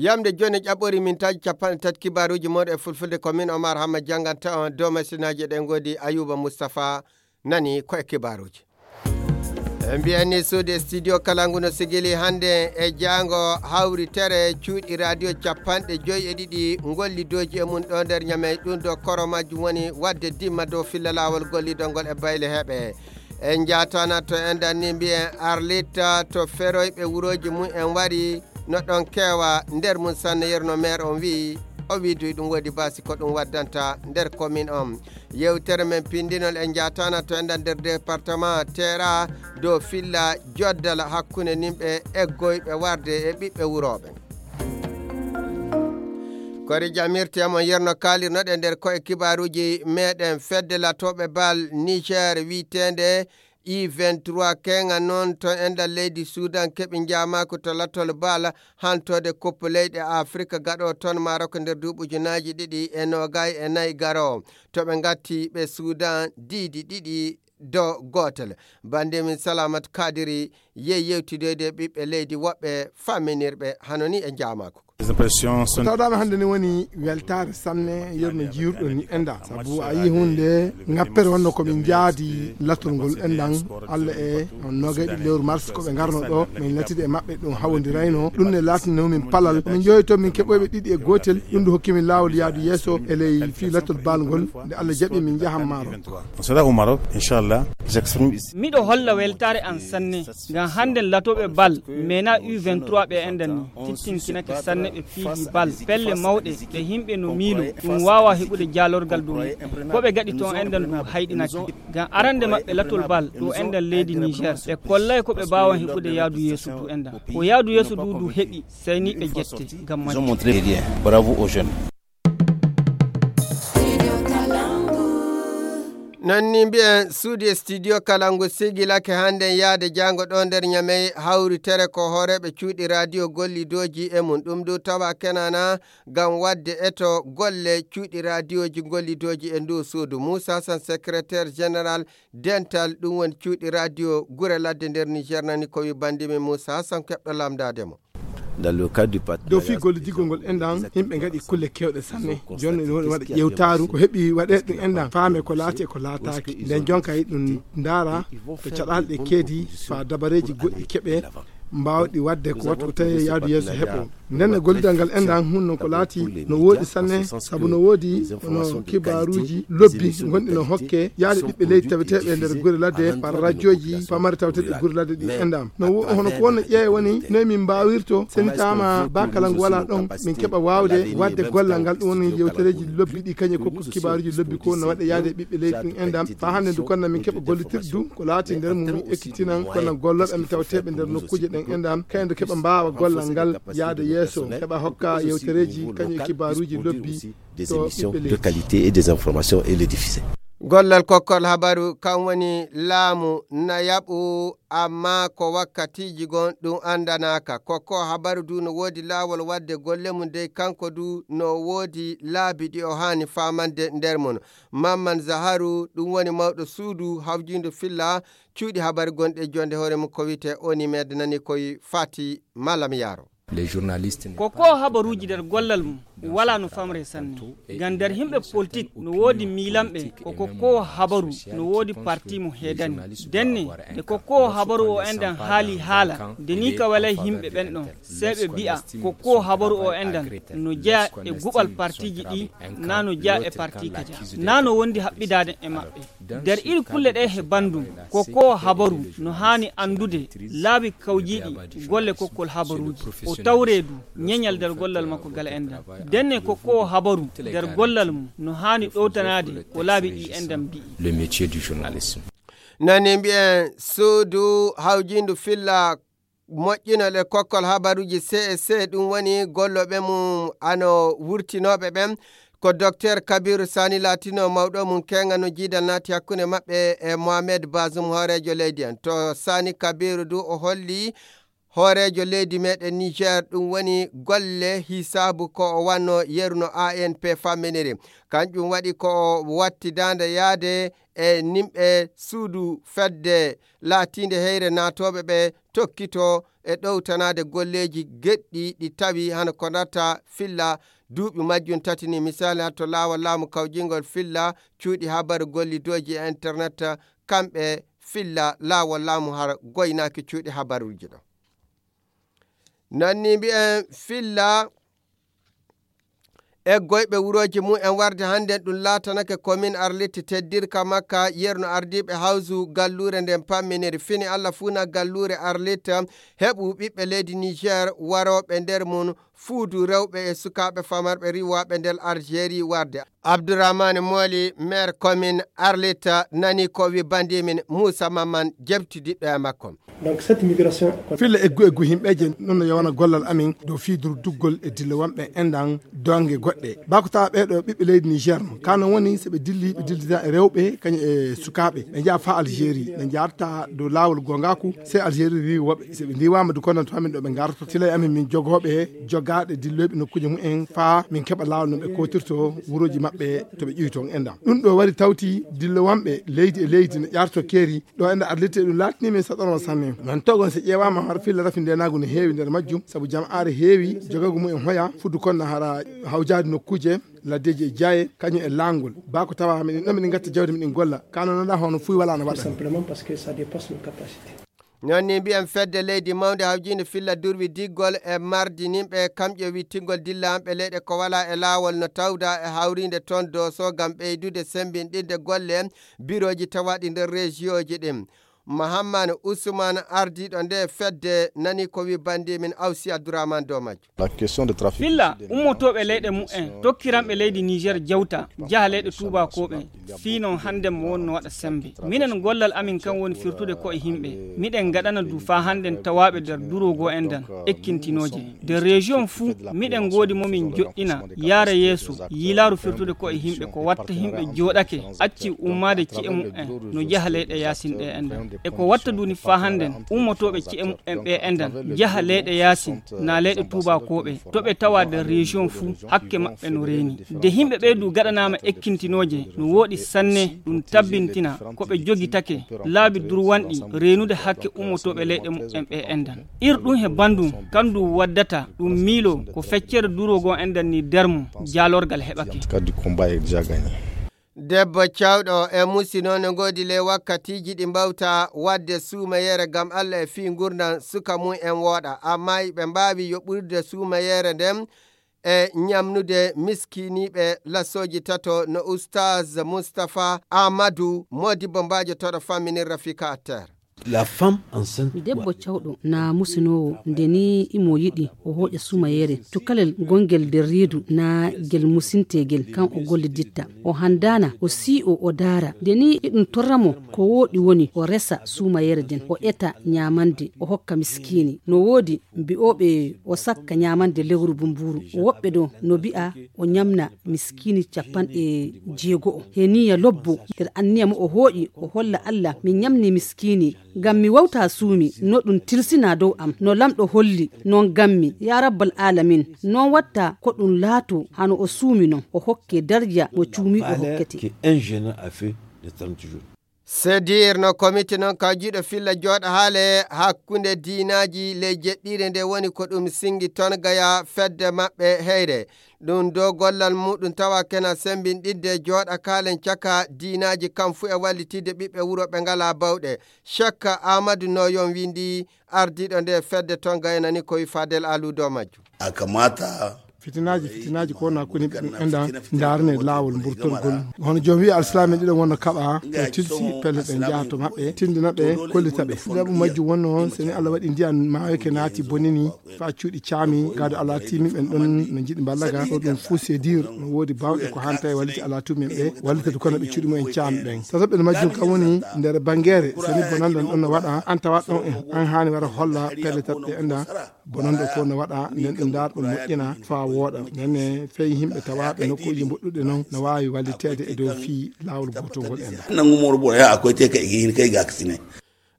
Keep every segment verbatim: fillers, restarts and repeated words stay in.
Yamde jooni ƴaɓɓori min taji capanɗe tati kibaaruuji mooɗon e fulfulde ko min Omar Hamma jannganta on dow masinaaji ɗen ngoodi Ayuba Mustafa nani ko e kibaaruuji. E mbiyen ni suudu e studio kala ngu no sigili hannde e jaango hawritere cuuɗi radio capanɗe joyi e ɗiɗi ngolli doji e mum ɗo nder Ñamey ɗum ɗo koro majjum woni wadde dimma dow filla laawol gollidol ngol e bayle heɓe. En njaatana to enɗan ni mbiyen Arlita to feroyɓe wurooji mum en wari no ɗon keewa nder mum sanne yerno maire on wi'i o wiiduy ɗum woodi basi ko ɗum waddanta nder commune on. Yewtere men pindinol e njaatana to enɗan nder département Tera dow filla joddal hakkunde nimɓe eggoyɓe warde e ɓiɓɓe wurooɓe. Kori jamirte mon yerno kaalirnoɗe nder koye kibaaruuji meɗen fedde latoɓe bal Niger wiitende I vingt-trois kenga noon to enɗan leydi Sudan keɓi njaamaaku to latol bal hantode koppu leyɗe Afrika gaɗo toon Marok nder duuɓi ujunaaji ɗiɗi e noogay e nayi garo. To ɓe ngatti ɓe Sudan diidi ɗiɗi do gootel. Bannde min Salamat Kadiri yehi yewtidoyde e ɓiɓɓe leydi woɓɓe famminirɓe hano ni e njaamaaku. Ko tawɗaami hannde ni woni weltaare sanne yerno jiirɗo ni enɗan. Sabu a yii huunde ngappere wonno ko min njaadi latol ngol enɗan. Allah e on noogay ɗiɗi lewru mars ko ɓe ngarno ɗo min latide e maɓɓe ɗum hawondirayno. Ɗum ne laatino min palal. Min njoyi to min keɓoyɓe ɗiɗi e gootel. Ɗum ɗo hokki min laawol yaadu yeeso e ley fii latol bal ngol. Nde Allah jaɓi min njahan maaro. On sera au Maroc, Inch'Allah. J'exprime ici. Miɗo holla weltaare an sanne, ngam hannden latooɓe bal, mena U vingt-trois ɓe enɗan ni, tittinkinake sanne ɓe piiji bal, pelle mawɗe, ɗe yimɓe no miilo, ɗum waawa heɓude jaalorgal dow mum. Ko ɓe gaɗi toon enɗan ɗum hayɗinake. Ngam arande maɓɓe latol bal, ɗo enɗan leydi Niger, ɓe kollay ko ɓe mbaawan heɓude yaadu yeeso du enɗan. Ko yaadu yeeso du du heɓi, sey ni ɓe jette, ngam majjum. Ils ont montré rien. Bravo aux jeunes. Non ni mbiyen suudu e studio kala ngu sigilake hannden yaade jaango ɗo nder Ñamey hawritere ko hooreeɓe cuuɗi radio gollidooji e mum. Ɗum du tawa kenana ngam wadde eto golle cuuɗi radioji gollidooji e ndu suudu. Moussa Hassan, secrétaire général dental, ɗum woni cuuɗi radio gure ladde nder Niger nani ko wi bandimi Moussa Hassan keɓɗo lamdaade mo. Dans le cadre du partenariat Dow fii gollidigol ngol enɗan, yimɓe ngaɗi kulle keewɗe sanne. Jooni no waɗa ƴeewtaaru, ko heɓi waɗee ɗum enɗan, faame ko laati e ko laataaki. Nden jonka e ɗum ndaara to caɗaale ɗe keedi, faa dabareeji goɗɗi keɓee, mbaawɗi waɗde ko waɗta ko tawi yaadu yeeso heɓo. Nden e gollidal ngal enɗan, hunno ko laati no wooɗi sanne, sabu no woodi no kibaaruuji lobbi gonɗi no hokke yaade ɓiɓɓe leydi taweteeɓe nder gure ladde, par radioji pamari taweteeɗe gure ladde ɗi enɗan. No wo-, hono ko wonno ƴeewa woni, noy min mbaawirto, so en taama ba kala ngu walaa ɗon, min keɓa waawde waɗde gollal ngal, ɗum woni yewtereeji lobbi ɗi, kañum e kokku kibaaruuji lobbi ko no waɗa yaade e ɓiɓɓe leydi ɗum enɗan. Faa hannde ndu konna min keɓa gollitirdu, ko laati nder mum min ekkitinan, kono gollooɓe amin taweteeɓe nder nokkuuje ɗen enɗan, kañum ndu keɓa mbaawa gollal ngal yaade yeeso, heɓa hokka yewtereeji, kañum e kibaaruuji lobbi des to émissions ɓiɓɓe de leydi. Qualité et des informations et les diffuser. Gollal kokkol habaru kan woni laamu na yaɓu, amma ko wakkatiiji gon ɗum anndanaaka. Kokko habaru du no woodi laawol waɗde golle mum dey, kanko du no woodi laabi ɗi o haani faamande nder mum. Mamman Zaharu, ɗum woni mawɗo suudu hawjiindu filla cuuɗi habaru gonɗi e jonde hoore mum ko wiyetee Onimed nani koy Fati Malam Yaro. Les journalistes ne Ko ko habaruuji nder gollal mum walaa no famre sanne. Ngam nder yimɓe politik no woodi miilanɓe, ko ko ko habaru no woodi parti mo heedani. Denne, nde ko ko habaru o enɗan haali haala, nde ni ka walay yimɓe ɓen ɗon, sey ɓe mbi'a, ko ko habaru o enɗan no jeya e guɓal partiiji ɗi, naa no jeya e parti kaja, naa no wondi haɓɓidaade e maɓɓe. Nder iri kulle ɗe he banndum, ko ko habaru no haani anndude laabi kawjiiɗi golle kokkol habaruuji. O tawree du ñeñal nder gollal makko gal enɗan. Denne ko ko habaru nder gollal mum no haani ɗowtanaade ko laabi ɗi enɗan mbi'i. Le métier du journalisme. Nani mbi'en suudu hawjiindu filla moƴƴinol e kokkol habaruuji C S C, ɗum woni gollooɓe mum ano wurtinooɓe ɓen. Ko Docteur Kabiru Sani laatino mawɗo mum keenga no jiidal naati hakkunde maɓɓe e Mohamed Bazoum hooreejo leydi en. To Sani Kabiru du o holli hooreejo leydi meɗen Niger, ɗum woni golle hisaabu ko o wanno yeru no A N P famminiri. Kanƴum waɗi ko o watti daande yaade e nimɓe suudu fedde laatiinde heyre naatooɓe ɓe tokkito e ɗowtanaade golleeji geɗɗi ɗi tawi hano ko natta filla duuɓi majjum tati ni. Misali, hatto laawol laamu kawjingol filla cuuɗi habaru gollidooji e internet, kamɓe filla laawol laamu har goynaaki cuuɗi habaruuji ɗo. Nanni mbi'en filla eggoyɓe wurooji mum en warde hannden ɗum laatanake komin arlitte teddirka makka yerno ardiiɓe hawsu galluure nden pamminiri fini Allah fuu na galluure arlitte heɓu ɓiɓɓe leydi Niger warooɓe nder mum fuudu rewɓe e sukaaɓe famarɓe riwaaɓe nder Algérie warde. Abdourahmane Mooli, maire commune Arlita, nani ko wi bandimin Moussa Mamman, jebtidiɗɗo e makko. Donc, cette migration, filla eggu eggu himɓeje noon no yowana gollal amin dow fii durduggol e dillowamɓe enɗan donge goɗɗe. Bako tawa ɓeɗo ɓiɓɓe leydi Niger no kano woni so ɓe dilli ɓe dillida e rewɓe kañum e sukaaɓe ɓe njaha fa Algérie ɓe njarta dow laawol gongaku. Sey Algérie riwi woɓɓe so ɓe ndiwama du kono to amin ɗo ɓe ngarto tila e amin min jogoɓe jogaɗe dilloyɓe nokkuji mumen fa min keɓa laawol no ɓe kotirto wuroji maɓɓe to ɓe ƴuwi toon enɗan. Ɗum ɗo wari tawti dillowanɓe leydi e leydi no ƴarto keeri ɗo enɗan arlirte ɗum laatini min saɗorma sanne. Man togon so ƴeewama har filla rafi ndenagu no heewi nder majjum sabu jama'aare heewi jogagu mumen hoya fuddu kon no hara hawjaade nokkuje laddeji e jaaye kañum e laangol. Bako tawa miɗen ɗo miɗen gatta jawdi miɗen golla kano noɗa hono fuy wala no waɗa. Simplement parce que ça dépasse nos capacités. Noon ni mbiyen fedde leydi mawnde hawjiinde filla durwi diggol e mardininɓe kamƴe wittingol dillanɓe leyɗe ko wala e laawol no tawda e hawriinde toon dooso ngam ɓeydude sembinɗinde golle birooji tawaɗi nder rejiyoji ɗin. Mahammane Usman ardiiɗo nde fedde nani ko wi bandi min Awsi Abdourahmane Domajo. Filla ummotooɓe leyɗe mumen tokkiranɓe leydi Niger jawta jaha leyɗe tuubakooɓe fii non hannden mo wonno waɗa semmbe. Minen gollal amin kan woni firtude ko'e yimɓe. Miɗen ngaɗana du faa hannden tawaaɓe nder duroogo enɗan ekkintinooje. Nder région fuu miɗen ngoodi mo min joɗɗina yaara yeeso yiilaaru firtude ko'e yimɓe ko watta yimɓe jooɗake acci ummaade ci'e mumen no jaha leyɗe yaasin ɗe enɗan. E ko watta du ni faa hannden ummotooɓe ci'e mumen ɓe enɗan jaha leyɗe yaasin naa leyɗe tuubakooɓe to ɓe tawa nder région fuu hakke maɓɓe no reeni. De yimɓe ɓee du gaɗanaama ekkintinooje no wooɗi sanne ɗum tabbintina ko ɓe jogitake laabi durwanɗi reenude hakke ummotooɓe leyɗe mumen ɓe enɗan. Ir ɗum he banndum kan du waddata ɗum miilo ko feccere duroogo enɗan ni darmu jaalorgal heɓake. Debbo cawɗo e musi noon no ngoodi ley wakkatiiji ɗi mbawta waɗde suumayere ngam Allah e fii ngurndan suka mum en wooɗa, ammaa iɓe mbaawi yoɓude suumayere nden e ñamnude miskiiniiɓe lasooji tato no Oustaz Moustapha Amadou, moodibbo mbaajo toɗo famminir Rafika Atter. La femme enceinte. Debbo cawɗo na musinoowo nde ni imo yiɗi o hooƴa sumayere cukalel gongel nder reedu na gel musintegel kan o golliditta o handana o sii'o o daara nde ni iɗum torra mo ko wooɗi woni o resa sumayere nden o eta ñamande o hokka miskiini no woodi mbi'ooɓe o sakka ñamande lewru bumburu woɓɓe ɗo no mbi'a o ñamna miskiini capanɗe jeego'o he niya lobbo nder anniya mo o hooƴi o holla Allah mi ñamni miskiini ngam mi wawta suumi no ɗum tilsina dow am no lamɗo holli non ngammi ya rabbal alamin non watta ko ɗum laato hano o suumi non o hokke darja mo cuumi o hokkete. Sedir no komiti noon kawjiiɗo filla jooɗa haale hakkunde diinaaji ley jeɗɗiire nde woni ko ɗum singi toon gaya fedde maɓɓe heyre ɗum do gollal muɗum tawa kena sembinɗidde jooɗa kaalen caka diinaaji kam fuu e wallitidde ɓiɓɓe wuro ɓe ngalaa bawɗe. Cekka Aamadu Nooyon windi ardiiɗo nde fedde toon gayanani ko wi Fadel Alu dow majjum. A kamata fitinaaji fitinaaji ko wona koni ɓe enɗa ndaarne laawol mburtolgol hono joom wiya alsilaame ɗiɗo wonno kaɓa ɓe tilsi pelle ɓe njaha to maɓɓe tindina ɓe kollita ɓe sababu majjum wonno so ni allah waɗi ndiyan maaweke naati bonini fa cuuɗi caami gado ala timi ɓen ɗon no jiɗi mballaga ɗo ɗum fuu sedir no woodi bawɗe ko hanta e walliti ala tumin ɓe wallitade kono ɓe cuuɗi mumen caami ɓen tataɓɓe no majjum kam woni nder bangere so ni bonanɗan ɗon no waɗa an tawa ɗon e an haani wara holla pelle tatɓe enɗa bonande ko no waɗa nden ɗum ndaar ɗum moƴƴina fa wooɗa nenne fey yimɓe tawaɓe nokkuji mboɗɗuɗe noon no wawi walliteede e dow fii laawol gotol ngol en nangumoro ɓoya a koyte ka igi hin kay gaksine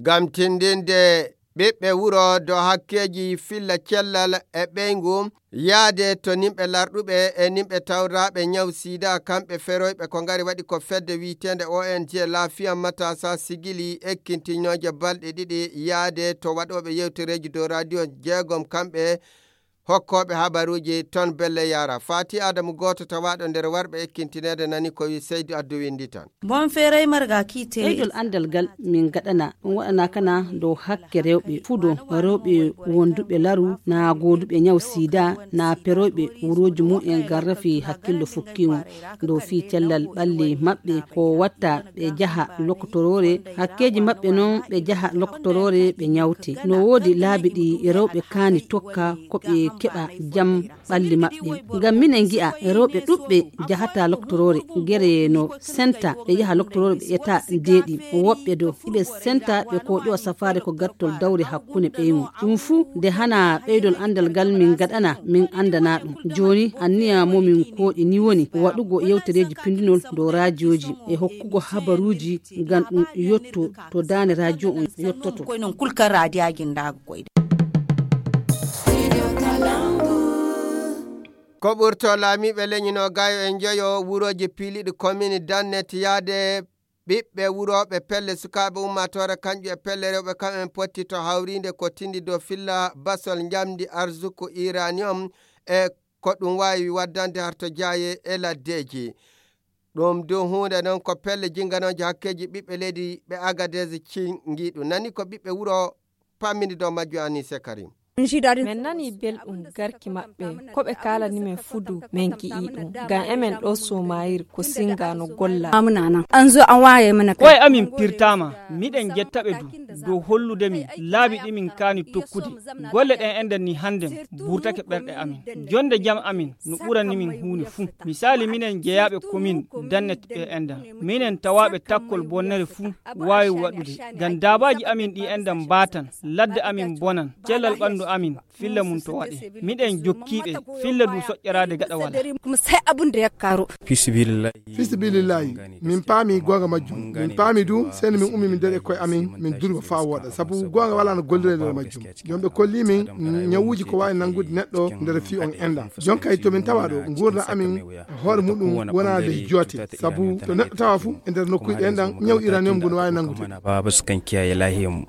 ngam tindinde Ɓiɓɓe wuro dow hakkeeji filla cellal e ɓeyngu, yaade to nimɓe larɗuɓe e nimɓe tawraaɓe ñaw sida, kamɓe feroyɓe ko ngari waɗi ko fedde wiyeteende O N G Lafiya Matasa Sigili ekkintinooje balɗe ɗiɗi yaade to waɗooɓe yewtereeji dow radio jeegom, kamɓe hokkooɓe habaruuji ton belle yara. Fati Adamu gooto tawaaɗo nder warɓe ekkintineede nani ko wi Seydi Addu Winndi tan. Bon feeray marga kiite. Ɓeydol anndal ngal min ngaɗana, ɗum waɗana kana dow hakke rewɓe fudo, rewɓe wonduɓe laru, na gooduɓe ñaw sida, na peroyɓe wurooji mumen ngam rafi hakkillo fukkimu dow fii cellal ɓalli maɓɓe, ko watta ɓe jaha lokotoroore, hakkeeji maɓɓe non ɓe jaha lokotoroore ɓe ñawte. No woodi laabi ɗi rewɓe kaani tokka ko ɓe keɓa jam ɓalli maɓɓe. Ngam minen ngi'a rewɓe ɗuɓɓe jahata loktoroore, gere no senta ɓe yaha loktoroore ɓe eta deeɗi. Woɓɓe do iɓe senta ɓe ko ƴowa safaare ko gattol dawre hakkunde ɓeymu. Ɗum fuu nde hana ɓeydol anndal ngal min ngaɗana, min anndana ɗum. Jooni anniya mo min kooɗi ni woni waɗugo yewtereeji pindinol dow raajooji e hokkugo habaruuji ngam ɗum yotto to daande rajo on yottoto. Koy non kulkan raadiyaji ndaago koyde. Ko ɓurto laamiiɓe leñi no gayo e njoyo wurooji piiliɗi komini dannet yaade ɓiɓɓe wurooɓe pelle sukaaɓe ummaatoore kanƴu e pelle rewɓe kam en potti to hawriinde ko tindi dow filla basol njamndi arzuku iranium e ko ɗum waawi waddande harto jaaye e laddeeji. Ɗum du huunde noon ko pelle jinnganooje hakkeeji ɓiɓɓe leydi ɓe Agadez cinngiiɗu. Nani ko ɓiɓɓe wuro pammini dow majju Anise Karim. Min nani belɗum garki maɓɓe, ko ɓe kaalani men fudu men gi'i ɗum. Ngam emen ɗo Somayir ko singa no golla. An zo an waye mana. Koye amin pirtama, miɗen jetta ɓe du dow hollude min laabi ɗi min kaani tokkude. Golle ɗen enɗan ni hannden burtake ɓerɗe amin. Jonde jam amin no ɓurani min huunde fuu. Misaali, minen jeyaaɓe komin dannet ɓe enɗan. Minen tawaaɓe takkol bonnere fuu waawi waɗude. Ngam daabaaji amin ɗi enɗan mbaatan, ladde amin bonan, cellal ɓanndu amin filla mum to waɗe. Miɗen jokkiiɓe, filla du soƴƴaraade gaɗa wala. Kuma sai abun da ya karo. Fi sabilillahi. Fi sabilillahi. Min paami goonga majjum. Min paami du, seni min ummi min dari e koye amin, min durba faa wooɗa. Sabu goonga wala no golliree nder majjum. Jom ɓe kolli min, mm, ñawuuji ko waawi nanngude neɗɗo nder fii on enda. Jon kay to min tawa ɗo, nguurndam amin hoore muɗum wona ley joote. Sabu to neɗɗo tawa fu, e nder nokkuuji ɗen ɗan, ñaw uranium ngun waawi nanngude. Baba su kan kiyaye lahiyar mu.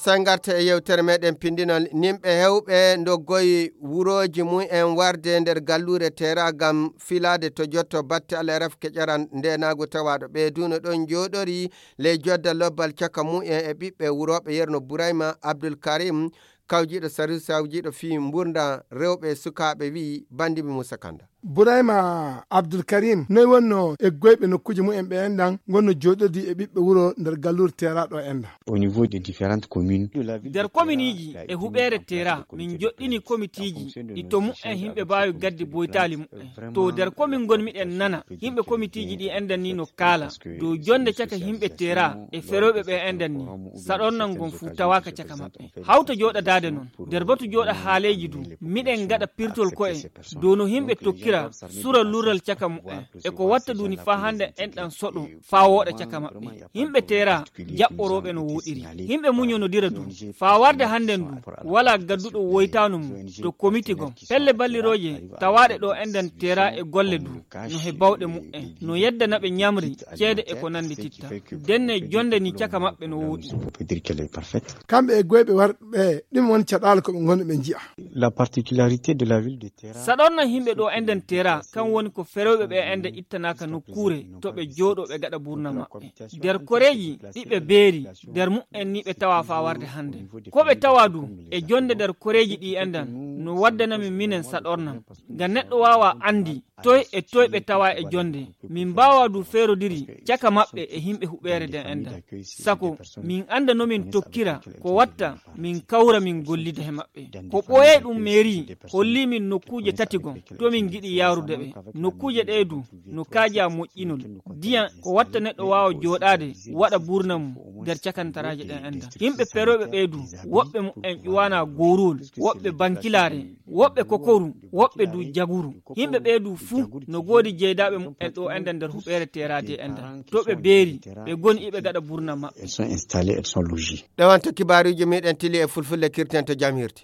Sen ngarta e yewtere meɗen pindinol. Nimɓe hewɓe ndoggoyi wurooji mum en warde nder galluure Tera ngam filaade to jotto batte alaraf keƴaran ndenaagu tawaaɗo. Ɓe du no ɗon njooɗori ley jodda lobbal caka mum en e ɓiɓɓe wurooɓe Yerno Burayma Abdul Karim, kawjiiɗo Sarusi, kawjiiɗo fii mburda rewɓe sukaaɓe, wi'i Bandibi Musa Kanda. Burayma Abdul Karim, noy wonno e goyɓe nokkuuje mumen ɓe enɗan ngonno jooɗodi e ɓiɓɓe wuro nder galluure Tera ɗo enɗan? Au niveau des différentes communes. Nder kominiiji e huɓeere Tera, min joɗɗini komitiiji ɗi to mumen himɓe mbaawi gaddi boytaali mumen. To nder komin ngon miɗen nana, himɓe komitiiji ɗi enɗan ni no kaala dow jonde caka himɓe Tera e ferooɓe ɓe enɗan ni. Saɗornan ngon fuu tawaaka caka maɓɓe. Hawta jooɗadaade non, nder batu jooɗa haaleeji du, miɗen ngaɗa pirtol ko'e dow no himɓe tokkira sura lurral caka mumen. E ko watta duni faa hannde enɗan soɗo faa wooɗa caka maɓɓe. Himɓe Tera jaɓɓorooɓe no wooɗiri. Himɓe muñonodira du. Faa warde hannden du, walaa gadduɗo woytaanu mum to komiti gom. Pelle ballirooje tawaaɗe ɗo enɗan Tera e golle du, no he bawɗe mumen. No yeddana ɓe ñamri, ceede e ko nanndi titta. Denne jonde ni caka maɓɓe no wooɗi. Kamɓe e goyɓe warɓe, ɗum woni caɗaala ko ɓe ngonno ɓe nji'a. La particularité de la ville de Tera. Saɗorna himɓe ɗo enɗan Tera, kan woni ko ferooɓe ɓe enɗan ittanaaka nokkuure to ɓe jooɗo ɓe gaɗa burna maɓɓe. Nder koreeji ɗi ɓe beeri, nder mumen ni ɓe tawa faa warde hannde. Ko ɓe tawa du e jonde nder koreeji ɗi enɗan, no waddana min minen saɗornam. Ngam neɗɗo waawa anndi toy e toy ɓe tawa e jonde. Min mbaawa du feerodiri caka maɓɓe e himɓe huɓeere nden enɗan. Sako min annda no min tokkira ko watta min kawra min gollida he maɓɓe. Ko ɓooyay ɗum meeri holli min nokkuuje tati gon to min ngiɗi yaarude ɓe. Nokkuuje ɗee du no kaaja moƴƴinol. Diyan ko watta neɗɗo waawa jooɗaade waɗa burna mum nder cakantaraaje ɗen enɗan. Yimɓe perooɓe ɓee du, woɓɓe mumen ƴuwaana gooruwol, woɓɓe bankilaare, woɓɓe kokoru, woɓɓe du jaguru. Yimɓe ɓee du fuu no ngoodi jeydaaɓe mumen ɗo ende nder huɓeere Teera de ende. To ɓe beeri, ɓe ngoni iɓe ngaɗa burna maɓɓe. Elles sont installées, elles sont logées. Ɗo wonto kibaaruuji meɗen tili e fulfulde kirten to jam hirti.